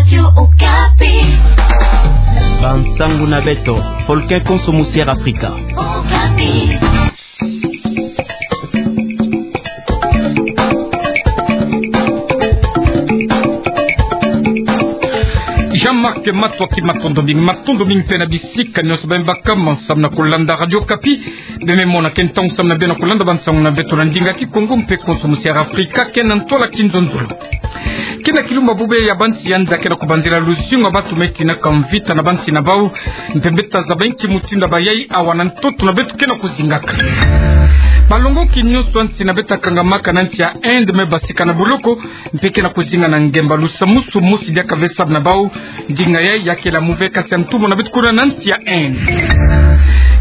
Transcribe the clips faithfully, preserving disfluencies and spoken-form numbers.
Radio Okapi. Bansangu na beto, folke konso musier Afrika. Okapi. Jean-Marc Matsoua, matondo mingi, matondo mingi mpe na bisika nyonso beno bakama samu na kulanda Radio Okapi. Beno me mona ke ntangu samu na beno kulanda bansangu na beto na ndinga Kikongo mpe konso musier Afrika, ke na ntwala Kinzonzolo. Ke na kilumbu bubu ya bansi ya nza ke na kubanzila luzingu ya bantu me tinaka mvita na bansi na bau, mpe beto tazaba inki mutindu bayai awa na ntoto na beto ke na kuzingaka. Malongoki nyonso ya nsi na beto yakangamaka na nsi ya Inde me basika na boloko, mpe ke na kuzinga na ngemba. Lusamusu mosi diaka ve samu na bau, ndinga yai ya kela move kasi ya ntumbu na beto kuna na nsi ya Inde.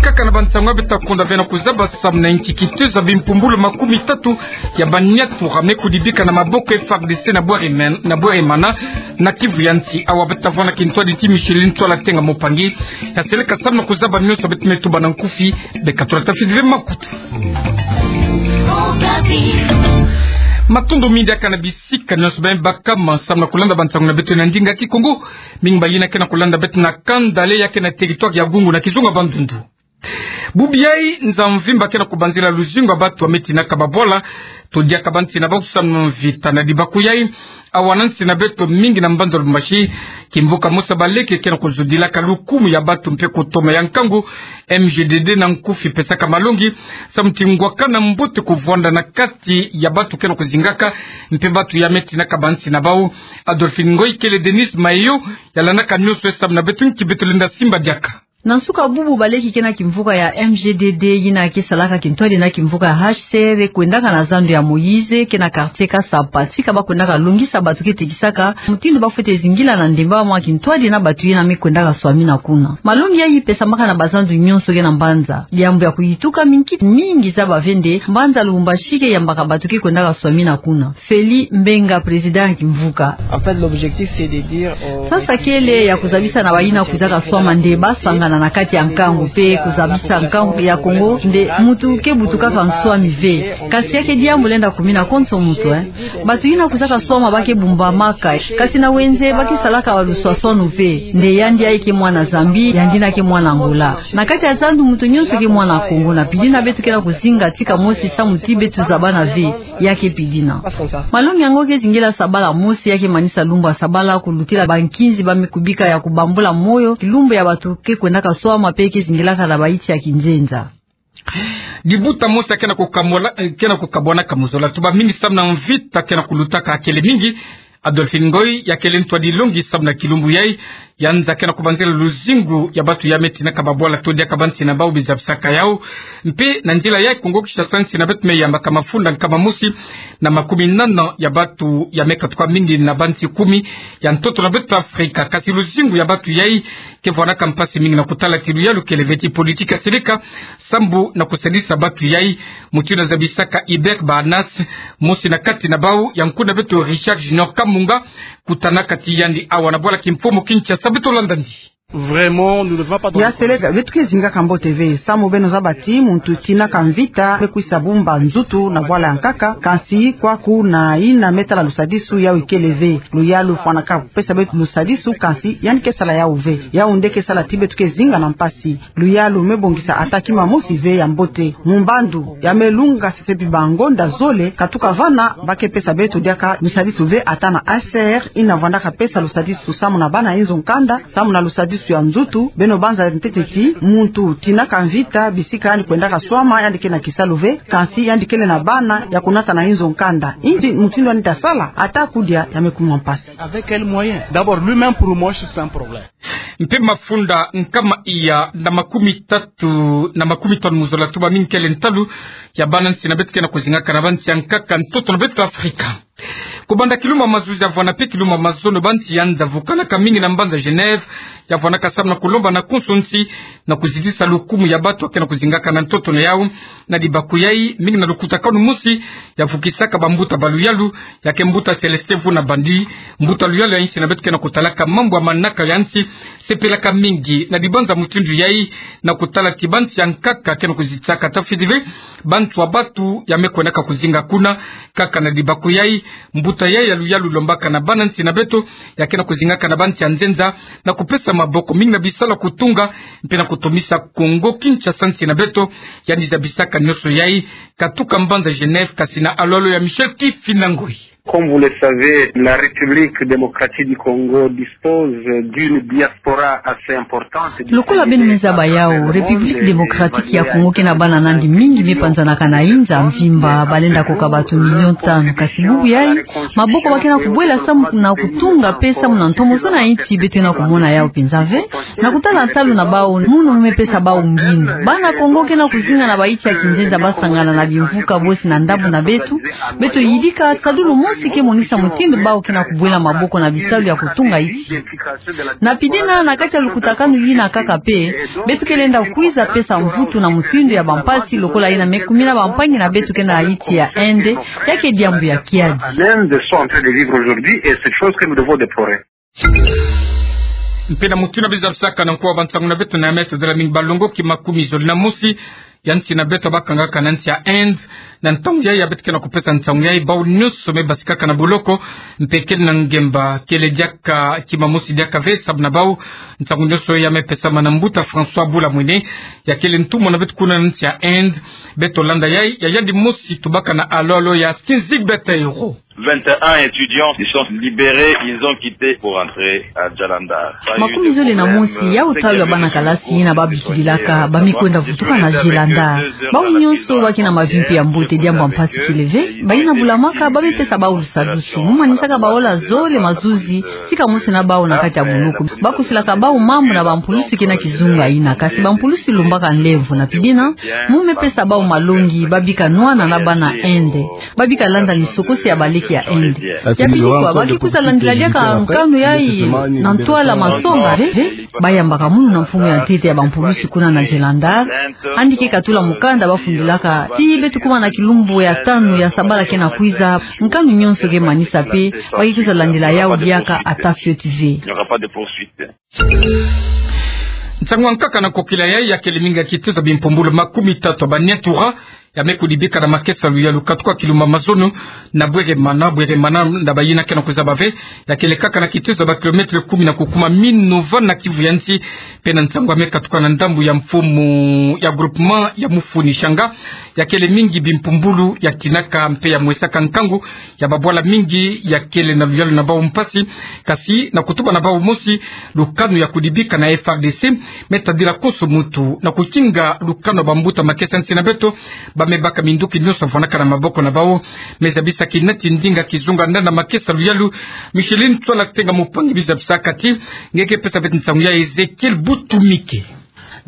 Kaka na bansangu ya beto takonda ve na kuzaba samu na inki kituza bimpumbulu makumi tatu ya baniatura me kudibika na maboko F A R D C na Bweremana, na Bweremana, na Kivu ya nsi. Awa beto tavwanda kintwadi ti Micheline Tsoala Tenga Mopangi, ya seleka samu na kuzaba nyonso beto me tuba na nkufi, beka tula tafidi ve makutu. Matondo mingi diaka na bisika nyonso beno bakama samu na kulanda bansangu na beto na ndinga Kikongo, mingi bayina ke na kulanda beto na kanda le ya ke na territoire ya Gungu na kizunga Bandundu. Bubu yai nza mvimba ke na kubanzila luzingu ya bantu ya me tinaka babwala, to diaka bansi na bau samu na mvita. Na dibakuyai, awa na nsi na beto mingi na mbanza Lubumbashi, kimvuka mosi ya baleke ke na kuzudilaka lukumu ya bantu mpe kutoma ya nkangu, M G D D na nkufi pesaka malongi samu ti ngwakana mbote kuvwanda na kati ya bantu ke na kuzingaka mpe bantu ya me tinaka bansi na bau. Adolphine Ngoy kele Denise Mayo, ya landaka nyonso ye samu na beto, inki beto lenda simba diaka. Na nsuka bubu, baleke ke na kimvuka ya M G D D yina ke salaka kintwadi na kimvuka ya H C R kwendaka na zandu ya Moïse ke na quartier Kasapa, tika ba kwendaka longisa bantu ke tekisaka mutindu ba fwete zingila na ndemba mwa kintwadi na bantu yina me kwendaka swamina kuna. Malongi yai pesamaka na bazandu nyonso ke na mbanza. Diambu ya kuyituka, mingi, mingi zaba ve nde mbanza Lubumbashi ke yambaka bantu ke kwendaka swamina kuna. Feli Mbenga, président ya kimvuka. En fait, l'objectif, c'est de dire, euh, sasa kele ya kuzabisa na bayina kwizaka swama nde ba sangana na kati ya nkangu mpe kuzabisa nkangu ya Kongo nde muntu ke butukaka nswami ve. Kasi ya ke diambu lenda kumina konso muntu, eh. Bantu yina kwizaka swama ba ke bumbamaka, kasi na wenze ba ke salaka baluswaswanu ve. Nde yandi yai ke mwana Zambie, yandi yina ke mwana Angola. Na kati ya zandu muntu nyonso ke mwana Kongo, na pili na beto ke na kuzinga tika mosi samu ti beto zabana ve. Ya ke pidina. Malongi yango ke zingila sabala mosi, ya ke manisa lumbu ya sabala, kulutila bankinzi ba me kubika ya kubambula moyo, kilumbu ya bantu ke kwendaka swama mpe ke zingilaka na baiti ya kinzenza. Dibuta mosi ya ke na kukamwala, eh, ke na kukabwanaka mu zola. Tuba mingi samu na mvita ke na kulutaka kele mingi. Adolphine Ngoy, ya kele ntwadi longi samu na kilumbu yai, ya nza ke na kubanzila luzingu ya bantu ya me tinaka babwala to diaka bansi na bau bizabisaka yau. Mpe na nzila yai Kongo Kinshasa, nsi na beto me yambaka mafunda nkama mosi na makumi nana ya bantu ya me katuka mingi na bansi kumi ya ntoto na beto Afrika. Kasi luzingu ya bantu yai ke vwanaka mpasi mingi na kutala ti luyalu kele ve, ti politique ya seleka sambu na kusadisa bantu yai, mutindu zabisaka Hubert Bahanas, mosi na kati na bau, ya nkuna beto Richard Junior Kamunga, kutanaka ti yandi awa na bwala kimfumu Kinshasa. Beto landa ndi. Vraiment, nous ne devons pas donner. Ya seleka, beto ke zingaka mbote ve, samu beno zaba ti muntu tinaka mvita me kwisa bumba nzutu na bwala ya nkaka, kasi kwaku na yina me tala lusadisu yau ikele ve. Luyalu fwanaka pesa beto lusadisu, kasi yandi ke sala yau ve. Yau nde ke sala ti beto ke zinga na mpasi. Luyalu me bongisa ata kima mosi ve ya mbote. Mu mbandu ya me lunga sesepi bangonda zole, katuka vana ba ke pesa beto diaka lusadisu ve ata na H C R yina vwandaka pesa lusadisu samu na bana inzo nkanda, samu na lusadisu ya nzutu. Beno banza ntete ti muntu tinaka mvita, bisika yandi kwendaka swama, yandi ke na kisalu ve, kasi yandi kele na bana ya kunata na inzo nkanda. Inki mutindu yandi ta sala, ata kudia ya me kuma mpasi. Avec quel moyen ? D'abord, lui-même, pour moi, c'est un problème. Mpe mafunda nkama iya na makumi tatu na makumi tanu mu zola, tuba mingi kele ntalu ya bana nsi na beto ke na kuzingaka na bansi ya nkaka ntoto na beto Afrika. Kubanda kilumbu ya mazuzi ya vwanda mpe kilumbu ya mazono, bansi ya nza vukanaka mingi na mbanza Genève, ya vwanaka samu na kulomba na konso nsi na kuzitisa lukumu ya bantu ya ke na kuzingaka na ntoto na yau. Na dibakuyai, mingi na lukutakanu mosi ya vukisaka bambuta ba luyalu, ya ke mbuta Célestin Vuna Bandi, mbuta luyalu ya nsi na beto ke na kutalaka mambu ya manaka ya nsi, sepelaka mingi na dibanza mutindu yai, na kutala ti bansi ya nkaka ke na kuzitisaka tafidi ve bantu ya bantu ya me kwendaka kuzinga kuna. Kaka na dibakuyai, Mbuta yayi ya luyalu lombaka na bana nsi na beto, ya ke na kuzingaka na bansi ya nzenza, na kupesa maboko mingi na bisalu ya kutunga, mpe na kutomisa Kongo Kinshasa nsi na beto, yandi zabisaka nyonso yayi, katuka mbanza Genève, kasi na alolo ya Michel Kifinda Ngoi. Comme vous le savez, la République démocratique du Congo dispose d'une diaspora assez importante. Lokola beno me zaba yawu, République démocratique ya Congo ke na bana na yandi mingi me panzanaka na inza mvimba, balenda koka bato million tanu, kasi bubu yayi, maboko ba ke na kubwela samu na kutunga mpe samu na ntomosono ya insi beto ke na kumona yawu mpenza ve, na kutala nsalu na bawu, munu mu me pesa bawu ngindu. Bana Kongo ke na kuzinga na bainsi ya kinzenza, basangana na bimvuka bosi na ndambu na beto, beto yidika sadulu mosi ke monisa mutindu bawu ke na kubwela maboko na bisalu ya kutunga insi. Na pide na, na kati ya lukutakanu yina kaka mpe, beto ke lenda kwiza pesa mvutu na mutindu ya bampasi lokola yina me kumina bampangi na beto ke na insi ya Inde, ya ke diambu ya kiadi. L'Inde sont en train de vivre aujourd'hui et c'est chose que nous devons déplorer. Mpe na mutindu beno zabisaka na nkoa bansangu na beto, na ya me tadila mingi balongoki makumi zole na mosi ya nsi na beto bakangaka na nsi ya Inde. Na ntangu yayi ya beto ke na kupesa nsangu yayi, bawu nyonso me basikaka na boloko, mpe kele na ngemba, kele diaka kima mosi diaka ve, samu na bawu nsangu nyonso ya me pesama na mbuta François Bula Mwene, ya kele ntumwa na beto kuna na nsi ya Inde. Beto landa yayi, ya yandi mosi tubaka na alolo ya Skinzig Beteiro. Vingt et un étudiants, ils sont libérés, ils ont quitté pour rentrer à Jalandhar. Makumi zole na mosi yawu talu ya bana kalasi yina babikililaka, ba me kwenda vutuka na Jalandhar. Bawu nyonso ba ke na mavi mpe ya mbote, diambu ya mpasi kele ve. Bayina bulamaka ba me pesa bawu lusadusu, mu manisaka baola zole mazuzi, tika mosi na bawu na kati ya boloko. Bakusilaka bawu mambu na bampulusi ke na kizunga yina, kasi bampulusi lumbaka nlemvo. Na pide na, mu me pesa bawu malongi, babika nwana na bana Inde. Babika landa misokosi ya baleke ya Inde. Ya pili kwa, ba ke kwiza landila diaka nkanu yayi na ntwala masonga, eh, eh. Bayambaka munu na mfumu ya ntete ya bampulusi kuna na Jalandhar, yandi ke katula mukanda bafundilaka ti beto kuma na kilumbu ya tanu ya sabala ke na kwiza, nkanu nyonso ke manisa mpe, ba ke kwiza landila yawu diaka ata fioti ve. Nsangu ya nkaka na kokila yayi, ya kele mingi ya kituza bimpumbulu makumi tatu ya ba Nyatura ya me kudibika na makesa ya luyalu katuka kilumbu ya mazono na Bweremana. Bweremana, na bayina ke na kuzaba ve, ya kele kaka na kituza ba kilomètre kumi na kukuma Minova na Kivu ya nsi. Mpe na nsangu ya me katuka na ndambu ya mfumu ya groupement ya Mufuni Shanga, ya kele mingi bimpumbulu ya kinaka mpe ya mwesaka nkangu ya babwala mingi ya kele na luyalu na bawu mpasi, kasi na kutuba na bawu mosi, lukanu ya kudibika na F R D C me tadila konso muntu na kukinga lukanu ya bambuta makesa nsi na beto, ba me baka minduki nyonso ya vwanaka na maboko na bawu. Me zabisa kinati ndinga kizunga ndanda makesa luyalu, Micheline Tswala Tenga Mupangi, bi zabisaka ti, nge ke pesa beto nsangu ya Ezekiel Butumike.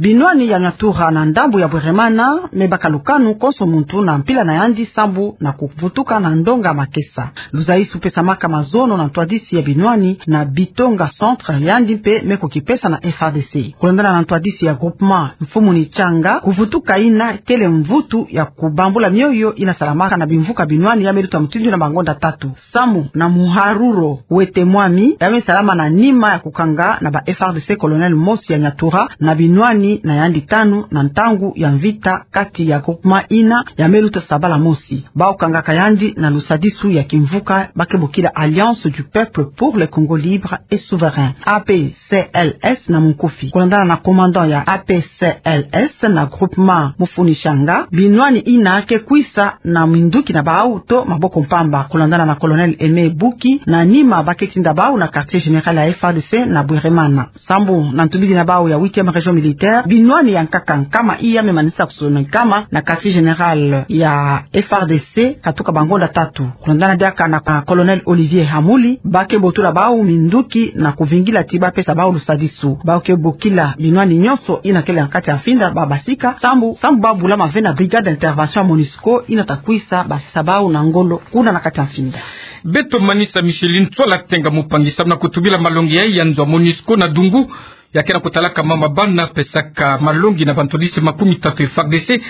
Binwani ya Nyatura na ndambu ya Bweremana me baka lukanu konso muntu na mpila na yandi sambu na kuvutuka na ndonga makesa. Luzaisu pesamaka mazono na ntwadisi ya binwani na Bitonga Centre, yandi mpe me kukipesa na F R D C. Kulandana na ntwadisi ya groupement Mfumu ni Changa, kuvutuka yina kele mvutu ya kubambula mioyo yina salamaka na bimvuka binwani ya me luta mutindu na bangonda tatu. Samu na muharuru wete mwami, ya me salama na nima ya kukanga na ba F R D C colonel mosi ya Nyatura na binwani na yandi tanu na ntangu ya mvita kati ya groupement yina ya me luta sabala mosi. Bawu kangaka yandi na lusadisu ya kimvuka ba ke bokila Alliance du Peuple pour le Congo Libre et Souverain, A P C L S na munkufi. Kulandana na commandant ya A P C L S na groupement Mufuni Shanga, binwani yina ke kwisa na minduki na bawu to maboko mpamba. Kulandana na colonel Aimé Buki, na nima ba ke tinda bawu na quartier général ya F R D C na Bweremana. Sambu na ntubidi na bawu ya huitième région militaire, binwani ya nkaka nkama iya me manisa kusono nkama na quartier général ya F R D C katuka bangonda tatu. Kulandana diaka na, ah, colonel Olivier Hamuli, ba ke botula bawu minduki na kuvingila ti ba pesa bawu lusadisu. Ba ke bokila binwani nyonso yina kele na kati ya mfinda ba basika, sambu, sambu ba bulama ve na brigade d'intervention ya MONUSCO yina ta kwisa basisa bawu na ngolo kuna na kati ya mfinda. Beto manisa Micheline Tswala Tenga Mupangi samu na kutubila malongi ya, ya nzo ya MONUSCO na Dungu, ya ke na kutalaka mama bana, pesaka malongi na bantwadisi makumi tatu F R D C.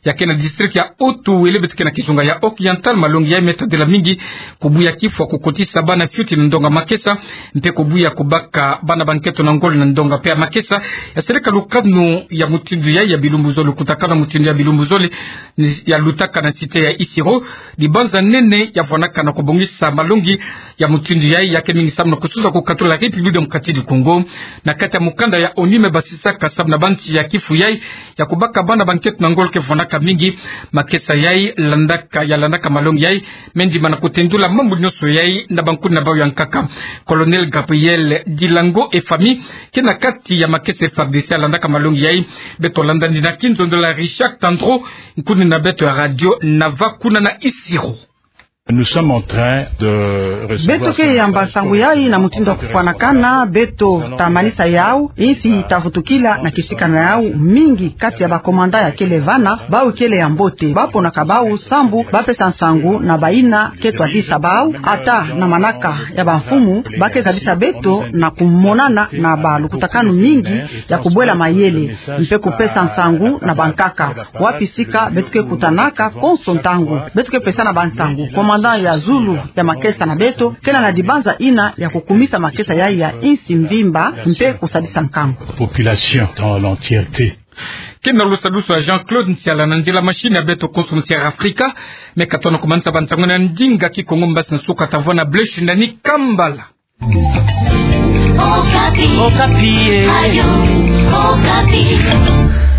Ya ke na district ya Otu, wele beto ke na kizunga ya Oriental, malongi yai me tadila mingi, kubuya kifwa kukotisa bana fioti na ndonga makesa, mpe kubuya kubaka bana ba nkento na ngolo na ndonga mpe ya makesa. Ya seleka lukanu ya mutindu yai ya bilumbu zole, lukutakanu ya mutindu ya bilumbu zole, ni-, ya lutaka na cité ya Isiro, dibanza nene ya vwanaka na kubongisa malongi ya mutindu yai, ya ke mingi samu na kusuza kukatula République démocratique du Congo. Na kati ya mukanda ya ONU me basisaka samu na bansi ya kifu yai, ya kubaka bana ba nkento na ngolo ke vwanaka mingi, makesa yai landaka, ya landaka malongi yai, me ndima na kutendula mambu nyonso yai na bankuni na bawu ya nkaka. Colonel Gabriel Dilango Efami, ke na kati ya makesa F A R D C ya landaka malongi yai, beto landa ni na kinzonzolo ya Richard Tandro, nkuni na beto ya radio na va kuna na Isiro. Nous sommes en train de recevoir. Beto ke yamba nsangu yai na mutindu ya kufwanakana, beto ta manisa yau, insi ta vutukila na kisika na yau, mingi kati ya ba commandant ya kele vana, bawu kele ya mbote, ba ponaka bawu sambu ba pesa nsangu na bayina ke twadisa bawu, ata na manaka ya bamfumu, ba ke zadisa beto na kumonana na balukutakanu mingi ya kubwela mayele, mpe kupesa nsangu na bankaka. Wapi sika beto ke kutanaka konso ntangu, beto ke pesana bansangu. Commandant ya zulu ya makesa na beto, ke na na dibanza ina ya kukumisa makesa yai ya insi mvimba, mpe kusadisa nkangu. Population dans l'entièreté. Ke na lusadusu ya Jean-Claude Nsiala na nzila machine ya beto konso Musière Afrika, me katona kumanisa bantangu na ndinga Kikongo mbasi na suka ta vwa na Blaise Shindani Kambala. Okapi. Okapi, eh. Radio Okapi.